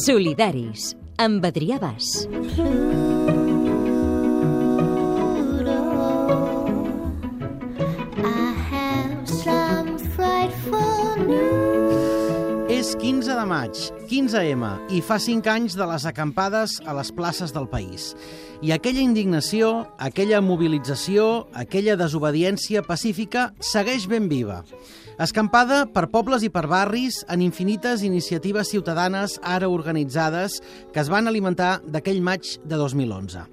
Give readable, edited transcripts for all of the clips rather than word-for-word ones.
Solidaris, amb Adrià Bas. És 15 de maig, 15M, i fa 5 anys de les acampades a les places del país. I aquella indignació, aquella mobilització, aquella desobediència pacífica segueix ben viva. Escampada per pobles i per barris en infinites iniciatives ciutadanes ara organitzades que es van alimentar d'aquell maig de 2011.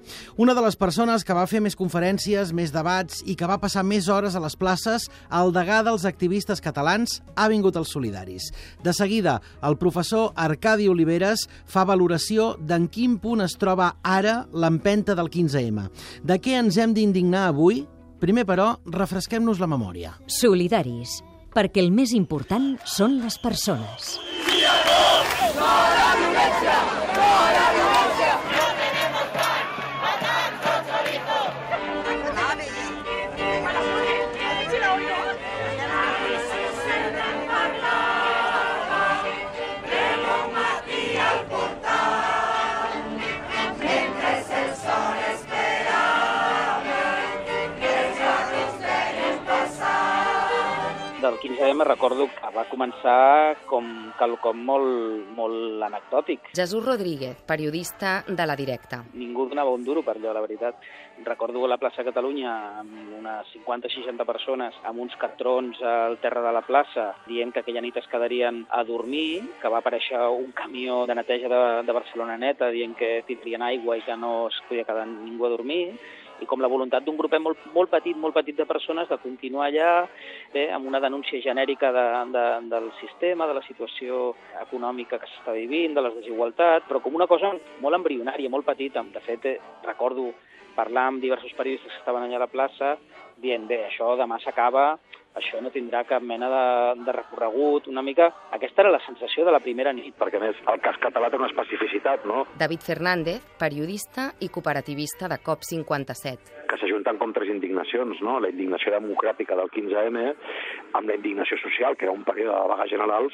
Una de les persones que va fer més conferències, més debats i que va passar més hores a les places, el degà dels activistes catalans, ha vingut als Solidaris. De seguida, el professor Arcadi Oliveres fa valoració d'en quin punt es troba ara l'empenta del 15M. De què ens hem d'indignar avui? Primer, però, refresquem-nos la memòria. Solidaris, perquè el més important són les persones. Del 15M recordo que va començar com quelcom molt anecdòtic. Jesús Rodríguez, periodista de La Directa. Ningú donava un duro per allò, la veritat. Recordo a la plaça Catalunya amb unes 50-60 persones amb uns cartrons al terra de la plaça dient que aquella nit es quedarien a dormir, que va aparèixer un camió de neteja de Barcelona Neta dient que tindrien aigua i que no es podia quedar ningú a dormir, i com la voluntat d'un grupet molt petit de persones de continuar allà amb una denúncia genèrica del sistema, de la situació econòmica que s'està vivint, de les desigualtats, però com una cosa molt embrionària, molt petita. De fet, recordo parlar amb diversos periodistes que estaven allà a la plaça dient, això demà s'acaba, això no tindrà cap mena de recorregut, una mica. Aquesta era la sensació de la primera nit. Perquè, a més, el cas català té una especificitat, no? David Fernández, periodista i cooperativista de COP57. Que s'ajunten com tres indignacions, no? La indignació democràtica del 15M, amb la indignació social, que era un període de vagues generals,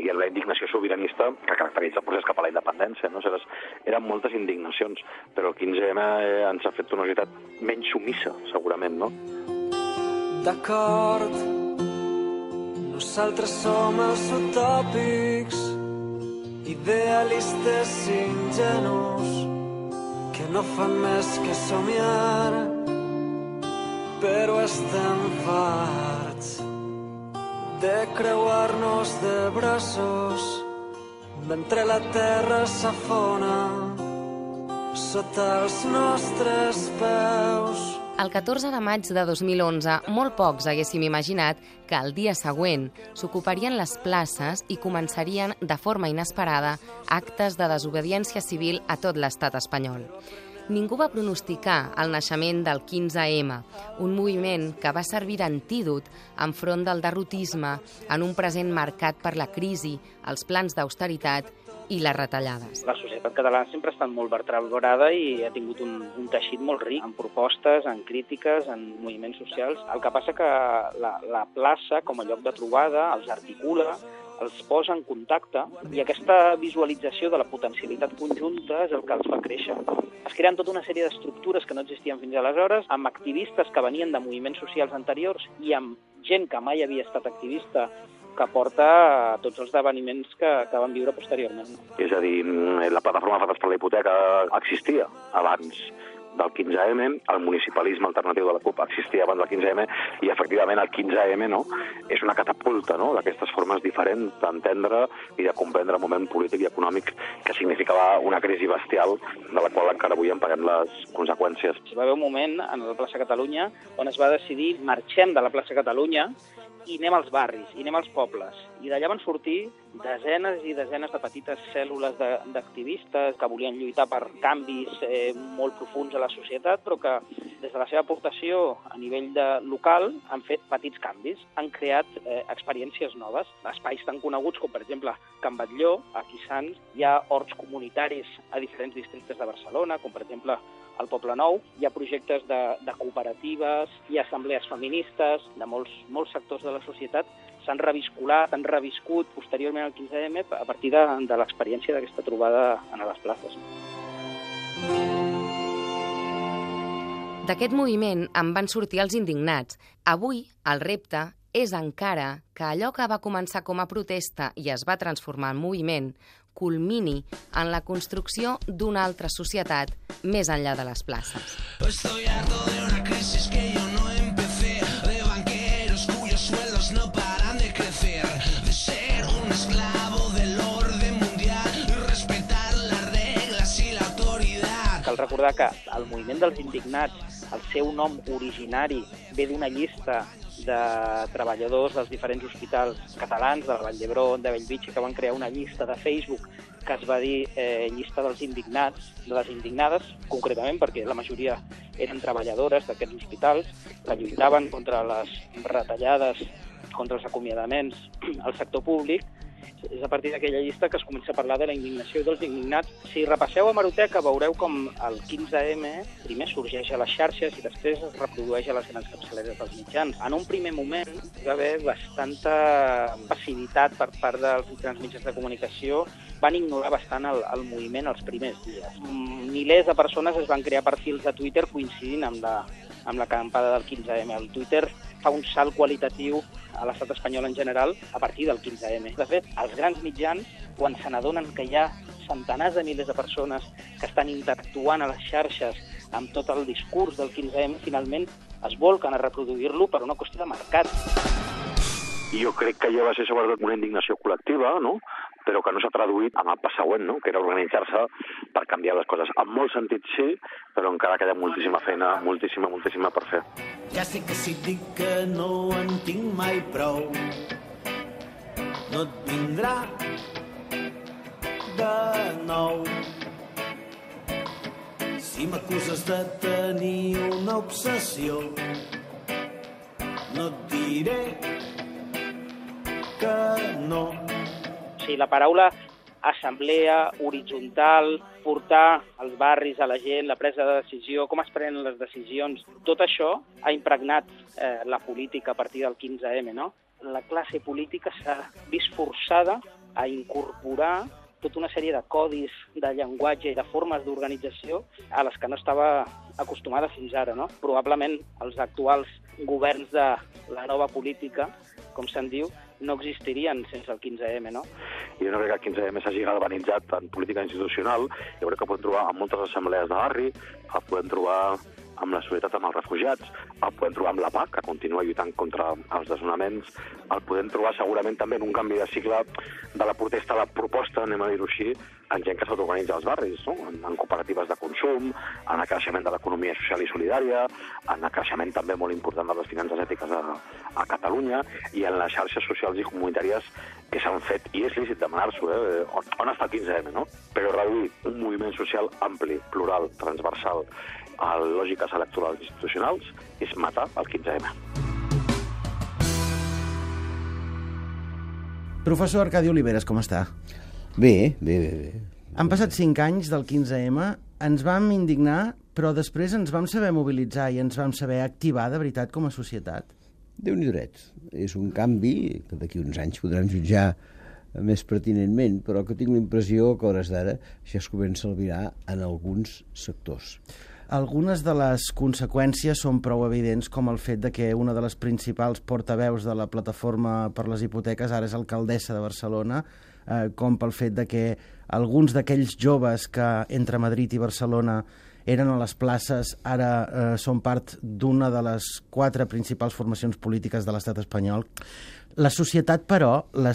i la indignació sobiranista que caracteritza el procés cap a la independència, no? Eren moltes indignacions, però el 15M ens ha fet una societat menys sumissa, segurament, no? D'acord, nosaltres som els utòpics, idealistes ingenus, que no fan més que somiar, però estem farts de creuar-nos de braços mentre la terra s'afona sota els nostres peus. El 14 de maig de 2011, molt pocs haguéssim imaginat que el dia següent s'ocuparien les places i començarien de forma inesperada actes de desobediència civil a tot l'estat espanyol. Ningú va pronosticar el naixement del 15M, un moviment que va servir d'antídot enfront del derrotisme en un present marcat per la crisi, els plans d'austeritat i les retallades. La societat catalana sempre ha estat molt vertebrada i ha tingut un teixit molt ric en propostes, en crítiques, en moviments socials. El que passa que la plaça, com a lloc de trobada, els articula, els posa en contacte, i aquesta visualització de la potencialitat conjunta és el que els fa créixer. Es creen tota una sèrie d'estructures que no existien fins aleshores, amb activistes que venien de moviments socials anteriors i amb gent que mai havia estat activista, que porta a tots els esdeveniments que van viure posteriorment. És a dir, la plataforma Afectats per la Hipoteca existia abans del 15M, el municipalisme alternatiu de la CUP existia abans del 15M, i efectivament el 15M és una catapulta d'aquestes formes diferents d'entendre i de comprendre el moment polític i econòmic que significava una crisi bestial de la qual encara avui en paguem les conseqüències. Va haver un moment en la plaça Catalunya on es va decidir marxem de la plaça Catalunya i anem als barris, i anem als pobles. I d'allà van sortir desenes i desenes de petites cèl·lules d'activistes que volien lluitar per canvis molt profuns a la societat, però que des de la seva aportació a nivell local han fet petits canvis, han creat experiències noves. Espais tan coneguts com, per exemple, Can Batlló, aquí a Sants, hi ha horts comunitaris a diferents districtes de Barcelona, com per exemple al Poble Nou. Hi ha projectes de cooperatives, hi ha assemblees feministes, de molts sectors de la societat s'han revisculat, han reviscut posteriorment al 15M a partir de l'experiència d'aquesta trobada a les places. D'aquest moviment en van sortir els indignats. Avui, el repte és encara que allò que va començar com a protesta i es va transformar en moviment culmini en la construcció d'una altra societat més enllà de les places. Estoy harto de una crisis que yo no empecé, de banqueros cuyos sueldos no paran de crecer, de ser un esclavo del orden mundial y respetar las reglas y la autoridad. Cal recordar que el moviment dels indignats, el seu nom originari ve d'una llista de treballadors dels diferents hospitals catalans, de la Vall d'Hebron, de Bellvitge, que van crear una llista de Facebook que es va dir llista dels indignats, de les indignades, concretament perquè la majoria eren treballadores d'aquests hospitals que lluitaven contra les retallades, contra els acomiadaments al sector públic. És a partir d'aquella llista que es comença a parlar de la indignació dels indignats. Si repasseu hemeroteca veureu com el 15M primer sorgeix a les xarxes i després es reprodueix a les grans capçaleres dels mitjans. En un primer moment hi va haver bastanta passivitat per part dels grans mitjans de comunicació, van ignorar bastant el moviment els primers dies. Milers de persones es van crear perfils de Twitter coincidint amb l'acampada del 15M. El Twitter fa un salt qualitatiu a l'estat espanyol en general a partir del 15M. De fet, els grans mitjans, quan se n'adonen que hi ha centenars de milers de persones que estan interactuant a les xarxes amb tot el discurs del 15M, finalment es volquen a reproduir-lo per una qüestió de mercat. I jo crec que ja va ser sobretot una indignació col·lectiva, no?, però que no s'ha traduït en el pas següent, no?, que era organitzar-se per canviar les coses. En molts sentits sí, però encara queda moltíssima feina, moltíssima per fer. Ja sé que si dic que no en tinc mai prou, no et vindrà de nou. Si m'acuses de tenir una obsessió, no et diré que no. Sí, la paraula assemblea, horitzontal, portar als barris, a la gent, la presa de decisió, com es prenen les decisions, tot això ha impregnat la política a partir del 15M, no? La classe política s'ha vist forçada a incorporar tota una sèrie de codis de llenguatge i de formes d'organització a les que no estava acostumada fins ara, no? Probablement els actuals governs de la nova política, com se'n diu, no existirien sense el 15M, no? Jo no crec que el 15M s'hagi galvanitzat en política institucional. Jo crec que podem trobar en moltes assemblees de barri, el podem trobar amb la solidaritat amb els refugiats, el podem trobar amb la PAC, que continua lluitant contra els desnonaments, el podem trobar segurament també en un canvi de cicle de la protesta a la proposta, anem a dir-ho així, en gent que s'autoorganitza als barris, no? En cooperatives de consum, en el creixement de l'economia social i solidària, en el creixement també molt important de les finances ètiques a Catalunya i en les xarxes socials i comunitàries que s'han fet, i és lícit demanar-s'ho, on està el 15M, no? Però reduir un moviment social ampli, plural, transversal, a lògiques electorals institucionals és matar el 15M. Professor Arcadi Oliveres, com està? Bé. Han passat 5 anys del 15M, ens vam indignar, però després ens vam saber mobilitzar i ens vam saber activar de veritat com a societat. Déu-n'hi-do dret. És un canvi que d'aquí uns anys podran jutjar més pertinentment, però que tinc la impressió que a hores d'ara ja es comença a albirar en alguns sectors. Algunes de les conseqüències són prou evidents, com el fet de que una de les principals portaveus de la plataforma per les hipoteques ara és alcaldessa de Barcelona, com pel fet de que alguns d'aquells joves que entre Madrid i Barcelona eren a les places, ara són part d'una de les 4 principals formacions polítiques de l'estat espanyol. La societat, però, la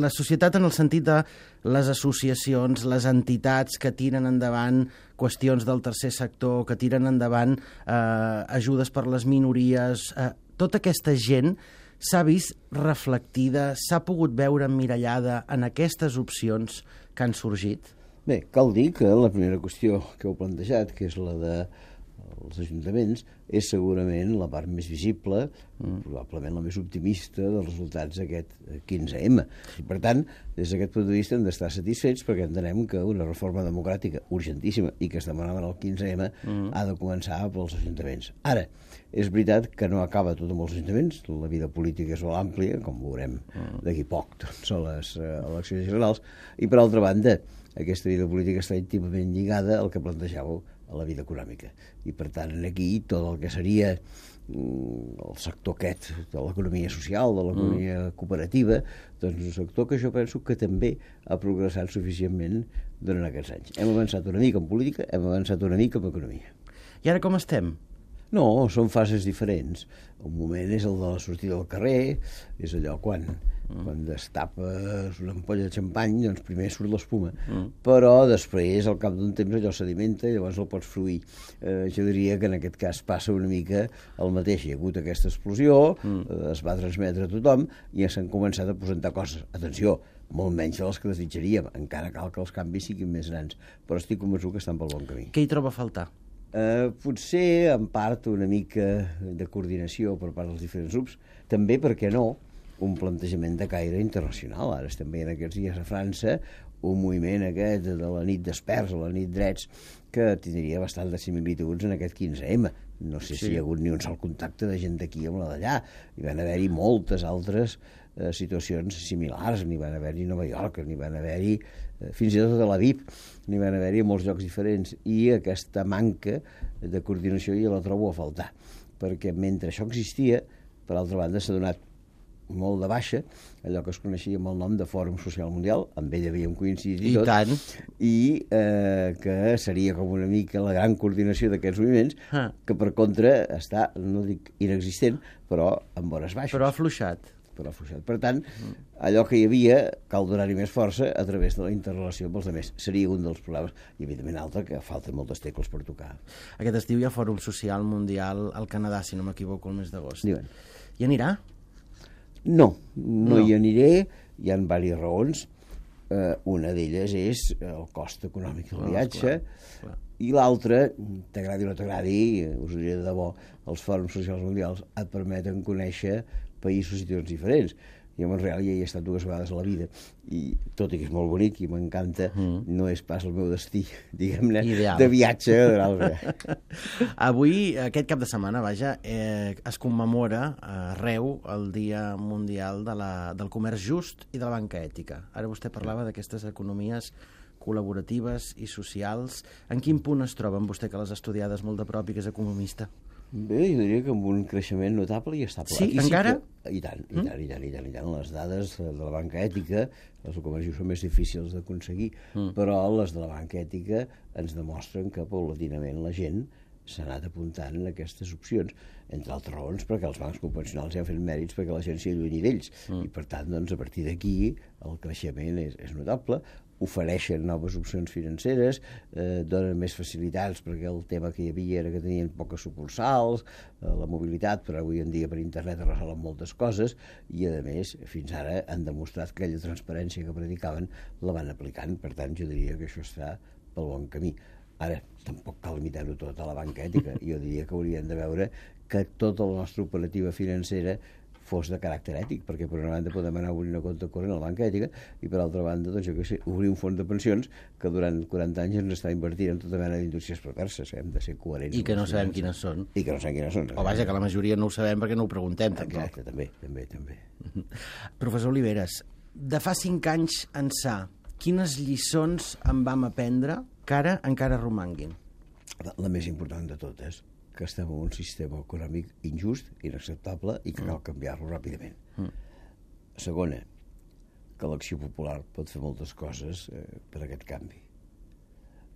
societat en el sentit de les associacions, les entitats que tiren endavant qüestions del tercer sector, que tiren endavant ajudes per les minories, tota aquesta gent s'ha vist reflectida, s'ha pogut veure emmirallada en aquestes opcions que han sorgit? Bé, cal dir que la primera qüestió que heu plantejat, que és la de als ajuntaments és segurament la part més visible, probablement la més optimista dels resultats d'aquest 15M. I, per tant, des d'aquest punt de vista hem d'estar satisfets perquè entenem que una reforma democràtica urgentíssima i que es demanava en el 15M ha de començar pels ajuntaments. Ara, és veritat que no acaba tot amb els ajuntaments, la vida política és molt àmplia, com veurem d'aquí poc, doncs, a les eleccions generals, i per altra banda, aquesta vida política està íntimament lligada al que plantejàveu a la vida econòmica. I, per tant, aquí tot el que seria el sector aquest de l'economia social, de l'economia cooperativa, doncs un sector que jo penso que també ha progressat suficientment durant aquests anys. Hem avançat una mica en política, hem avançat una mica en economia. I ara com estem? No, són fases diferents. Un moment és el de la sortida al carrer, és allò quan destapes una ampolla de xampany, doncs primer surt l'espuma, però després, al cap d'un temps, allò sedimenta i llavors el pots fruir. Jo diria que en aquest cas passa una mica el mateix. Hi ha hagut aquesta explosió, es va transmetre a tothom i s'han començat a presentar coses. Atenció, molt menys de les que desitjaríem. Encara cal que els canvis siguin més grans, però estic convençut que estan pel bon camí. Què hi troba a faltar? Potser, en part, una mica de coordinació per part dels diferents grups. També, per què no, un plantejament de caire internacional. Ara estem veient aquests dies a França un moviment aquest de la nit d'experts o la nit drets que tindria bastant de similituds en aquest 15M. No sé si hi ha hagut ni un sol contacte de gent d'aquí amb la d'allà. Hi van haver-hi moltes altres situacions similars. N'hi van haver-hi a Nova York, n'hi van haver-hi fins i tot a Tel Aviv, n'hi van haver-hi a molts llocs diferents. I aquesta manca de coordinació ja la trobo a faltar. Perquè mentre això existia, per altra banda, s'ha donat molt de baixa, allò que es coneixia amb el nom de Fòrum Social Mundial, amb ell havíem coincidit i tot, tant. I que seria com una mica la gran coordinació d'aquests moviments, que per contra està, no dic inexistent, però amb hores baixes. Però ha afluixat. Per tant, allò que hi havia cal donar-hi més força a través de la interrelació amb els altres. Seria un dels problemes, i evidentment altre, que falten moltes tecles per tocar. Aquest estiu hi ha Fòrum Social Mundial al Canadà, si no m'equivoco, el mes d'agost. Diuen. Hi anirà? No hi aniré, hi ha diverses raons. Una d'elles és el cost econòmic del viatge, clar. I l'altra, t'agradi o no t'agradi, us ho diré de debò, els fòrums socials mundials et permeten conèixer països i situacions diferents. Jo a Montreal ja hi he estat 2 vegades a la vida i tot i que és molt bonic i m'encanta, no és pas el meu destí, diguem-ne, de viatge. Avui, aquest cap de setmana, es commemora arreu el Dia Mundial del Comerç Just i de la Banca Ètica. Ara vostè parlava d'aquestes economies col·laboratives i socials. En quin punt es troben vostè, que les ha estudiades molt de prop i que és economista? Bé, jo diria que amb un creixement notable i estable. Sí, encara? I tant. Les dades de la banca ètica, les del comerç són més difícils d'aconseguir, però les de la banca ètica ens demostren que paulatinament la gent s'ha anat apuntant en aquestes opcions, entre altres raons perquè els bancs convencionals ja han fet mèrits perquè la gent s'hi allunyi d'ells, i per tant, doncs, a partir d'aquí el creixement és notable, ofereixen noves opcions financeres, donen més facilitats perquè el tema que hi havia era que tenien poques sucursals, la mobilitat, però avui en dia per internet es resolen moltes coses i, a més, fins ara han demostrat que aquella transparència que predicaven la van aplicant. Per tant, jo diria que això està pel bon camí. Ara, tampoc cal limitar-ho tot a la banca ètica. Jo diria que hauríem de veure que tota la nostra operativa financera fos de caràcter ètic, perquè per una banda podem anar a obrir una compte corrent a la banca ètica i per altra banda, doncs, jo què sé, obrir un fons de pensions que durant 40 anys ens està invertint en tota mena d'indústries perverses. Hem de ser coherents. I que no sabem quines són. O vaja, que la majoria no ho sabem perquè no ho preguntem, tampoc. Exacte, també. Professor Oliveres, de fa 5 anys ençà, quines lliçons en vam aprendre que ara encara romanguin? La més important de totes, que estem en un sistema econòmic injust, inacceptable i que cal canviar-lo ràpidament. Segona, que l'acció popular pot fer moltes coses per aquest canvi.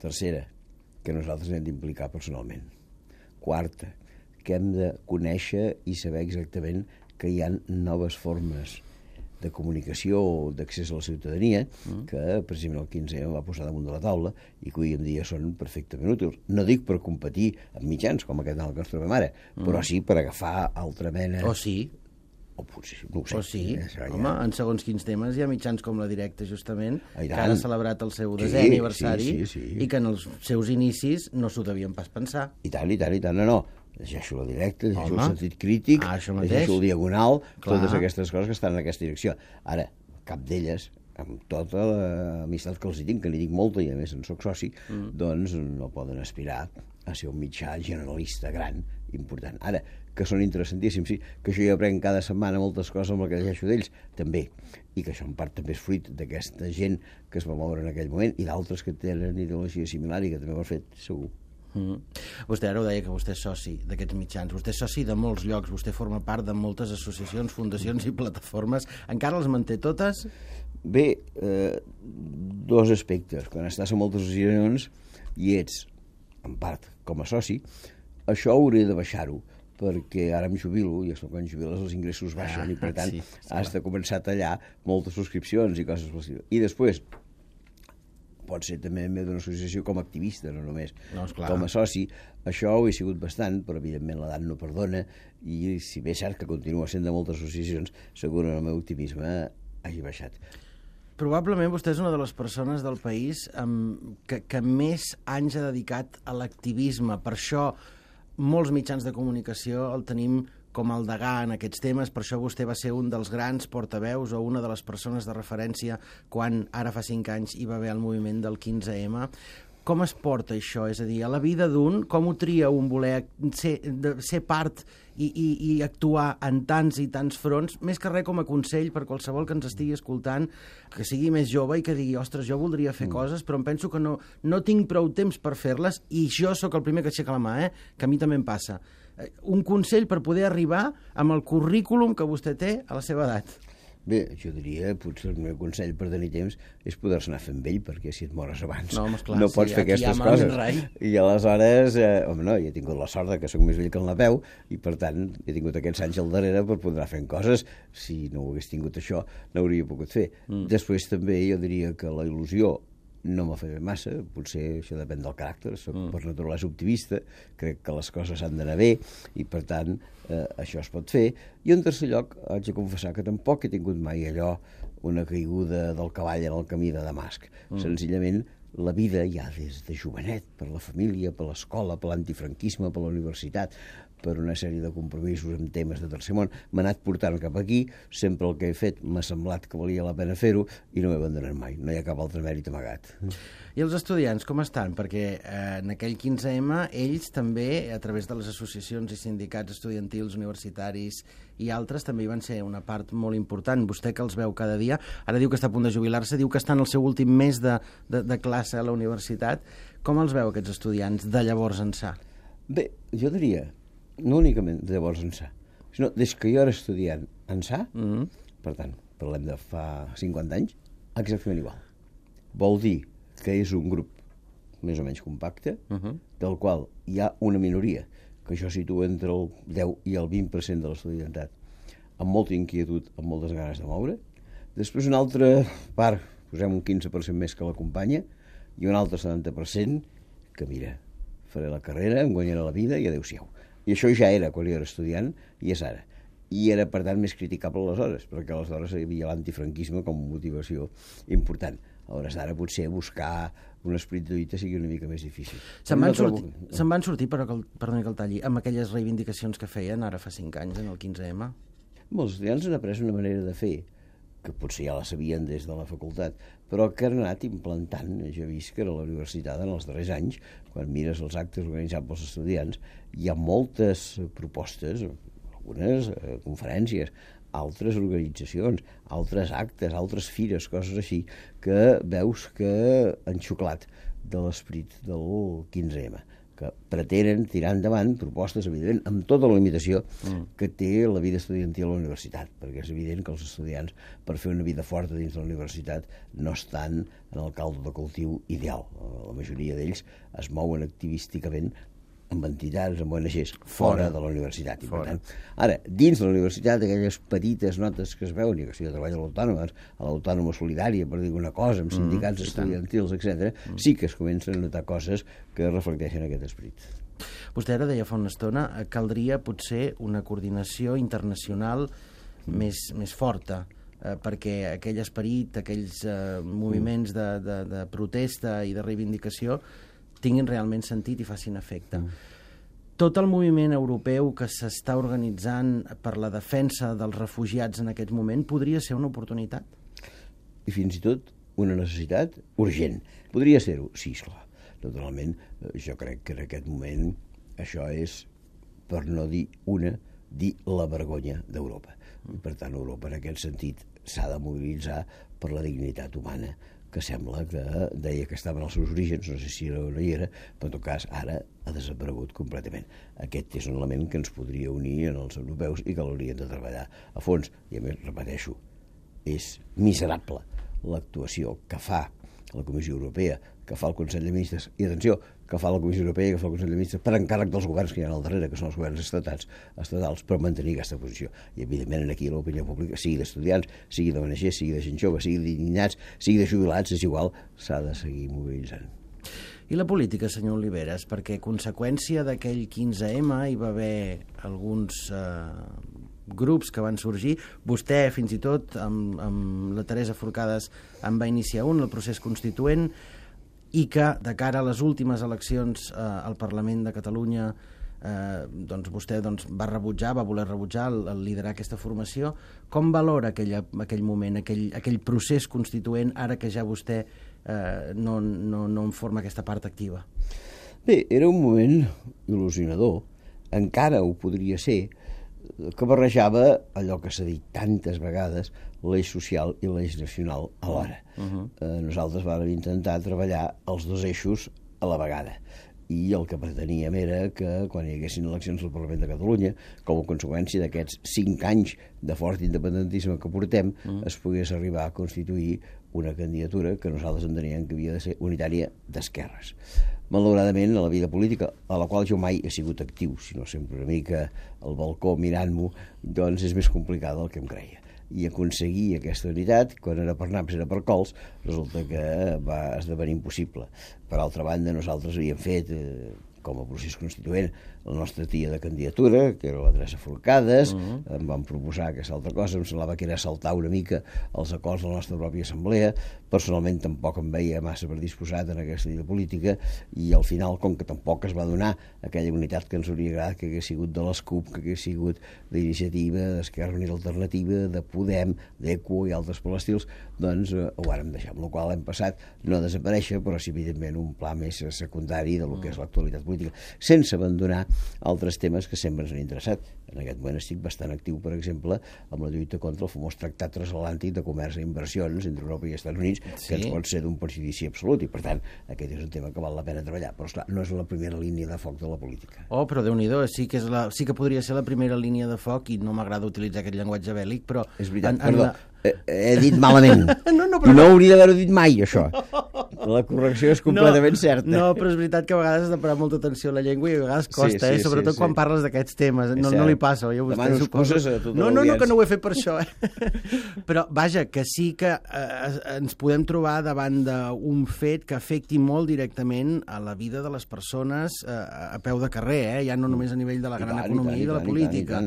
Tercera, que nosaltres hem d'implicar personalment. Quarta, que hem de conèixer i saber exactament que hi ha noves formes de comunicació o d'accés a la ciutadania que precisament el 15 va posar damunt de la taula i que avui en dia són perfectament útils. No dic per competir amb mitjans com aquest en el que ens trobem ara, però sí per agafar altra mena... Oh, sí? O potser, no ho sé. O sí, home, en segons quins temes hi ha mitjans com La Directa, justament, que ara ha celebrat el seu 10è aniversari i que en els seus inicis no s'ho devien pas pensar. I tant, no. Llegeixo La Directa, llegeixo el Sentit Crític, llegeixo el Diagonal, totes aquestes coses que estan en aquesta direcció. Ara, cap d'elles, amb tota l'amistat que els tinc, que n'hi dic molta i a més en soc soci, doncs no poden aspirar a ser un mitjà generalista gran, important. Ara, que són interessantíssims, sí, que jo hi aprenc cada setmana moltes coses amb el que llegeixo d'ells, també, i que això en part també és fruit d'aquesta gent que es va moure en aquell moment i d'altres que tenen ideologia similar i que també ho han fet, segur. Vostè ara ho deia, que vostè és soci d'aquests mitjans, vostè és soci de molts llocs, vostè forma part de moltes associacions, fundacions i plataformes. Encara les manté totes? Bé, dos aspectes. Quan estàs en moltes associacions i ets, en part, com a soci, això hauré de baixar-ho, perquè ara em jubilo, i quan jubiles els ingressos baixen, i per tant has de començar a tallar moltes subscripcions i coses possibles. I després, pot ser també d'una associació com a activista, no només com a soci, això ho he sigut bastant, però evidentment l'edat no perdona, i si bé és cert que continua sent de moltes associacions, segur el meu optimisme hagi baixat. Probablement vostè és una de les persones del país que més anys ha dedicat a l'activisme. Per això molts mitjans de comunicació el tenim com el degà en aquests temes, per això vostè va ser un dels grans portaveus o una de les persones de referència quan ara fa 5 anys hi va haver el moviment del 15M. Com es porta això? És a dir, a la vida d'un, com ho tria un voler ser part i actuar en tants i tants fronts, més que res com a consell per qualsevol que ens estigui escoltant, que sigui més jove i que digui, ostres, jo voldria fer coses, però em penso que no tinc prou temps per fer-les i jo sóc el primer que aixeca la mà, que a mi també em passa. Un consell per poder arribar amb el currículum que vostè té a la seva edat. Bé, jo diria, potser el meu consell per tenir temps és poder-se anar fent vell, perquè si et mores abans no pots fer aquestes coses. I aleshores, jo he tingut la sort que sóc més vell que el Napeu, i per tant he tingut aquests anys al darrere per poder anar fent coses. Si no ho hagués tingut això, no hauria pogut fer. Després també jo diria que la il·lusió no m'ha fet massa, potser això depèn del caràcter, soc per naturalesa optimista, crec que les coses han d'anar bé i per tant això es pot fer. I en tercer lloc haig de confessar que tampoc he tingut mai allò, una caiguda del cavall en el camí de Damasc. Senzillament la vida ja des de jovenet, per la família, per l'escola, per l'antifranquisme, per la universitat, per una sèrie de compromisos amb temes de tercer món, m'ha anat portant cap aquí, sempre el que he fet m'ha semblat que valia la pena fer-ho i no m'he abandonat mai, no hi ha cap altre mèrit amagat. I els estudiants, com estan? Perquè en aquell 15M ells també, a través de les associacions i sindicats estudiantils, universitaris i altres, també hi van ser una part molt important. Vostè que els veu cada dia, ara diu que està a punt de jubilar-se, diu que està en el seu últim mes de classe a la universitat. Com els veu aquests estudiants de llavors ençà? Bé, jo diria, no únicament de llavors ençà, sinó des que jo era estudiant ençà, per tant, parlem de fa 50 anys, exactament igual. Vol dir que és un grup més o menys compacte, del qual hi ha una minoria, que jo situo entre el 10 i el 20% de l'estudiantat, amb molta inquietud, amb moltes ganes de moure. Després una altra part, posem un 15% més que l'acompanya, i un altre 70% que, mira, faré la carrera, em guanyaré la vida i adéu-siau. I això ja era quan jo era estudiant, i és ara. I era, per tant, més criticable aleshores, perquè aleshores hi havia l'antifranquisme com a motivació important. A hores d'ara potser buscar un esperit de lluita sigui una mica més difícil. Se'n van sortir, però perdoni que el talli, amb aquelles reivindicacions que feien ara fa 5 anys en el 15M? Molts estudiants han après una manera de fer, que potser ja la sabien des de la facultat, però que han anat implantant. Jo he vist que a la universitat en els darrers anys, quan mires els actes organitzats pels estudiants, hi ha moltes propostes, algunes conferències, altres organitzacions, altres actes, altres fires, coses així, que veus que han xuclat de l'esperit del 15M, que pretenen tirar endavant propostes, evidentment, amb tota la limitació que té la vida estudiantil a la universitat, perquè és evident que els estudiants, per fer una vida forta dins de la universitat, no estan en el caldo de cultiu ideal. La majoria d'ells es mouen activísticament amb entitats, amb ONGs, fora de la universitat. I, per tant, ara, dins de la universitat, aquelles petites notes que es veuen, i que si jo treballo a l'Autònoma Solidària, per dir alguna cosa, amb sindicats estudiantils, etc., sí que es comencen a notar coses que reflecteixen aquest esperit. Vostè ara deia fa una estona, caldria potser una coordinació internacional més forta, perquè aquell esperit, aquells moviments de protesta i de reivindicació tinguin realment sentit i facin efecte. Tot el moviment europeu que s'està organitzant per la defensa dels refugiats en aquest moment podria ser una oportunitat? I fins i tot una necessitat urgent. Podria ser-ho? Sí, esclar. Naturalment, jo crec que en aquest moment això és, per no dir la vergonya d'Europa. I per tant, Europa en aquest sentit s'ha de mobilitzar per la dignitat humana, que sembla que deia que estava en els seus orígens, no sé si era o no hi era, però en tot cas ara ha desaparegut completament. Aquest és un element que ens podria unir en els europeus i que l'haurien de treballar a fons. I a més, repeteixo, és miserable l'actuació que fa la Comissió Europea, que fa el Consell de Ministres, i atenció, que fa la Comissió Europea i que fa el Consell de Ministres per encàrrec dels governs que hi ha al darrere, que són els governs estatals, per mantenir aquesta posició. I evidentment aquí l'opinió pública, sigui d'estudiants, sigui d'ONG, sigui de gent jove, sigui d'indignats, sigui de jubilats, és igual, s'ha de seguir mobilitzant. I la política, senyor Oliveres, perquè conseqüència d'aquell 15M hi va haver alguns grups que van sorgir. Vostè, fins i tot, amb la Teresa Forcades, en va iniciar el procés constituent, i que, de cara a les últimes eleccions al Parlament de Catalunya, doncs vostè va voler rebutjar el liderar aquesta formació. Com valora aquell moment, aquell procés constituent, ara que ja vostè no en forma aquesta part activa? Bé, era un moment il·lusionador, encara ho podria ser, que barrejava allò que s'ha dit tantes vegades, l'eix social i l'eix nacional alhora. Nosaltres vam intentar treballar els dos eixos a la vegada, i el que preteníem era que quan hi haguessin eleccions al Parlament de Catalunya, com a conseqüència d'aquests 5 anys de fort independentisme que portem, es pogués arribar a constituir una candidatura que nosaltres enteníem que havia de ser unitària d'esquerres. Malauradament, a la vida política, a la qual jo mai he sigut actiu, sinó sempre una mica al balcó mirant-m'ho, doncs és més complicada del que em creia. I aconseguir aquesta unitat, quan era per naps era per cols, resulta que va esdevenir impossible. Per altra banda, nosaltres havíem fet, com a procés constituent, la nostra tia de candidatura, que era la Teresa Forcades, em van proposar aquesta altra cosa, em semblava que era saltar una mica els acords de la nostra pròpia assemblea. Personalment tampoc em veia massa predisposat en aquesta vida política, i al final, com que tampoc es va donar aquella unitat que ens hauria agradat que hagués sigut de l'ESCUP, que hagués sigut d'Iniciativa, d'Esquerra Unida Alternativa, de Podem, d'ECO i altres per l'estils, doncs ho vàrem deixar, amb la qual hem passat no a desaparèixer, però sí, evidentment, un pla més secundari del que és l'actualitat política, sense abandonar altres temes que sempre ens han interessat. En aquest moment estic bastant actiu, per exemple, amb la lluita contra el famós Tractat Transatlàntic de Comerç i Inversions entre Europa i Estats Units, que ens pot ser d'un perjudici absolut, i per tant aquest és un tema que val la pena treballar, però esclar, no és la primera línia de foc de la política. Oh, però Déu-n'hi-do, sí que podria ser la primera línia de foc, i no m'agrada utilitzar aquest llenguatge bèl·lic, però... És veritat, perdó, he dit malament. No hauria d'haver-ho dit mai, això. La correcció és completament certa. No, però és veritat que a vegades has de parar molta atenció a la llengua i a vegades costa, sobretot quan parles d'aquests temes. No li passa, oi? Demano excuses a tota l'audiència. No, que no ho he fet per això. Però, vaja, que sí que ens podem trobar davant d'un fet que afecti molt directament a la vida de les persones a peu de carrer, ja no només a nivell de la gran economia i de la política.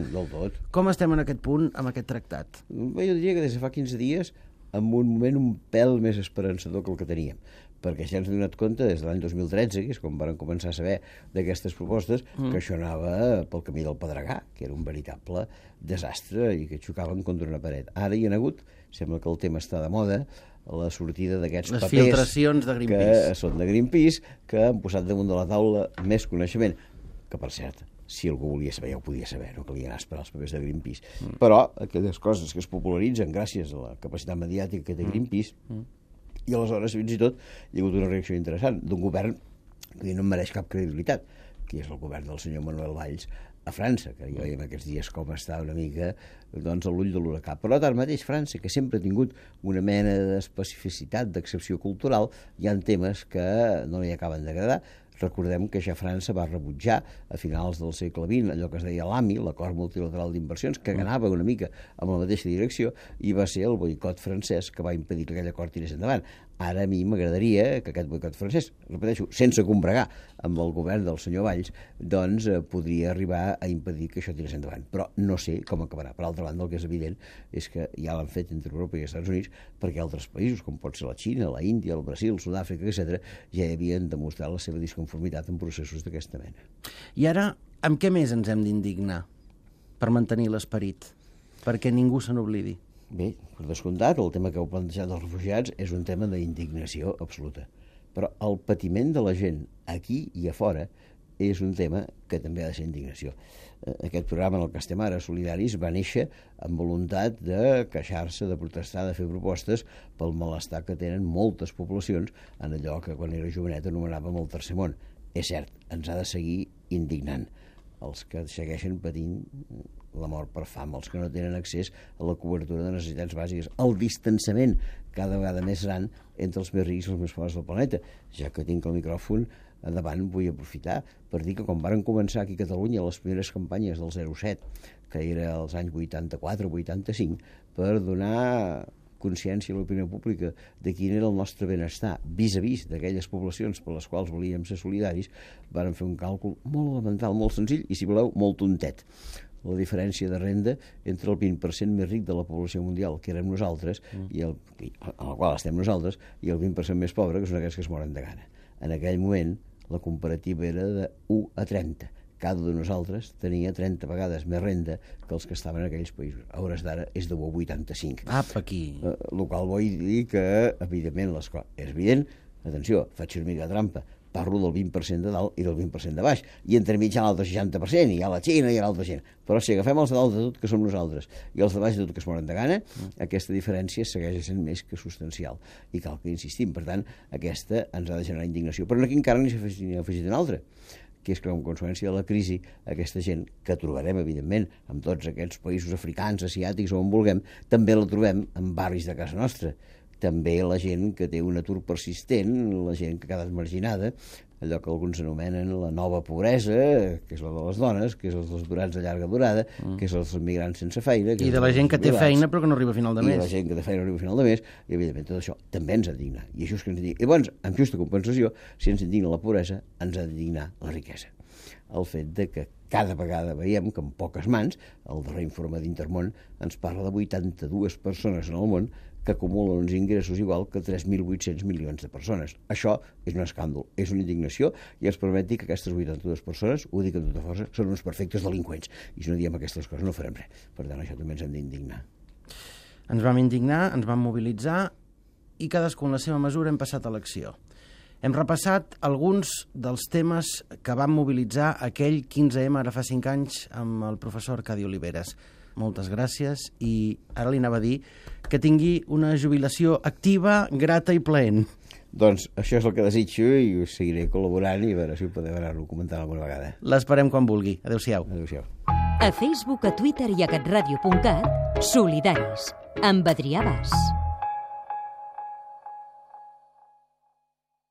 Com estem en aquest punt amb aquest tractat? Bé, jo diria que des de fa 15 dies, en un moment un pèl més esperançador que el que teníem, perquè ja ens hem donat compte des de l'any 2013, que és quan vam començar a saber d'aquestes propostes, que això anava pel camí del Pedregà, que era un veritable desastre i que xocaven contra una paret. Ara hi ha hagut, sembla que el tema està de moda, la sortida d'aquests papers... Les filtracions de Greenpeace. Que són de Greenpeace, que han posat damunt de la taula més coneixement, que per cert, si algú volia saber, ja ho podia saber, no calia anar a esperar els papers de Greenpeace. Però aquelles coses que es popularitzen gràcies a la capacitat mediàtica que té Greenpeace, i aleshores, fins i tot, hi ha hagut una reacció interessant d'un govern que no mereix cap credibilitat, que és el govern del senyor Manuel Valls a França, que ja veiem aquests dies com està una mica doncs, a l'ull de l'huracà. Però tanmateix França, que sempre ha tingut una mena d'especificitat, d'excepció cultural, hi ha temes que no li acaben d'agradar. Recordem que ja França va rebutjar a finals del segle XX allò que es deia l'AMI, l'Acord Multilateral d'Inversions, que anava una mica amb la mateixa direcció, i va ser el boicot francès que va impedir que aquell acord tirés endavant. Ara a mi m'agradaria que aquest boicot francès, repeteixo, sense combregar amb el govern del senyor Valls, doncs podria arribar a impedir que això tirés endavant. Però no sé com acabarà. Per altra banda, el que és evident és que ja l'han fet entre Europa i els Estats Units perquè altres països, com pot ser la Xina, la Índia, el Brasil, Sud-àfrica, etc., ja havien demostrat la seva disconformitat en processos d'aquesta mena. I ara, amb què més ens hem d'indignar per mantenir l'esperit? Perquè ningú se n'oblidi. Bé, per descomptat, el tema que heu plantejat dels refugiats és un tema d'indignació absoluta. Però el patiment de la gent aquí i a fora és un tema que també ha de ser indignació. Aquest programa en el que estem ara, Solidaris, va néixer amb voluntat de queixar-se, de protestar, de fer propostes pel malestar que tenen moltes poblacions en allò que quan era jovenet anomenàvem el tercer món. És cert, ens ha de seguir indignant els que segueixen patint la mort per fam, els que no tenen accés a la cobertura de necessitats bàsiques, el distanciament cada vegada més gran entre els més rics i els més pobres del planeta. Ja que tinc el micròfon davant, vull aprofitar per dir que quan varen començar aquí a Catalunya les primeres campanyes del 07, que era als anys 84-85, per donar consciència a l'opinió pública de quin era el nostre benestar vis-a-vis d'aquelles poblacions per les quals volíem ser solidaris, varen fer un càlcul molt elemental, molt senzill i, si voleu, molt tontet. La diferència de renda entre el 20% més ric de la població mundial, que érem nosaltres, i a la qual estem nosaltres, i el 20% més pobre, que són aquells que es moren de gana. En aquell moment, la comparativa era de 1 a 30. Cada un de nosaltres tenia 30 vegades més renda que els que estaven en aquells països. A hores d'ara és de 1 a 85. Apa, aquí. El qual vull dir que, evidentment, és evident, atenció, faig una mica de trampa, parlo del 20% de dalt i del 20% de baix, i entremig hi ha l'altre 60%, i hi ha la Xina i hi ha l'altra gent. Però si agafem els de dalt de tot, que som nosaltres, i els de baix de tot, que es moren de gana, aquesta diferència segueix sent més que substancial. I cal que insistim. Per tant, aquesta ens ha de generar indignació. Però aquí encara n'hi ha afegit una altra, que és que, com conseqüència de la crisi, aquesta gent que trobarem, evidentment, en tots aquests països africans, asiàtics, on vulguem, també la trobem en barris de casa nostra. També la gent que té un atur persistent, la gent que ha quedat marginada, allò que alguns anomenen la nova pobresa, que és la de les dones, que és els dels aturats de llarga durada, que és els migrants sense feina... I de la gent que té feina però que no arriba a final de mes. I de la gent que té feina no arriba a final de mes, i evidentment tot això també ens ha d'indignar. I això és que ens indigna. I llavors, amb justa compensació, si ens indigna la pobresa, ens ha d'indignar la riquesa. El fet de que cada vegada veiem que en poques mans, el darrer informe d'Intermón ens parla de 82 persones en el món que acumulen uns ingressos igual que 3.800 milions de persones. Això és un escàndol, és una indignació, i ens permet dir que aquestes 82 persones, ho dic amb tota força, són uns perfectes delinqüents. I si no diem aquestes coses no farem res. Per tant, això també ens hem d'indignar. Ens vam indignar, ens vam mobilitzar i cadascú en la seva mesura hem passat a l'acció. Hem repassat alguns dels temes que van mobilitzar aquell 15M ara fa 5 anys amb el professor Arcadi Oliveres. Moltes gràcies, i ara li anava a dir que tingui una jubilació activa, grata i plaent. Doncs això és el que desitjo i us seguiré col·laborant i a veure si ho podem anar-ho comentant alguna vegada. L'esperem quan vulgui. Adéu-siau. Adéu-siau. A Facebook, a Twitter i a catradio.cat, Solidaris, amb Adrià Bas.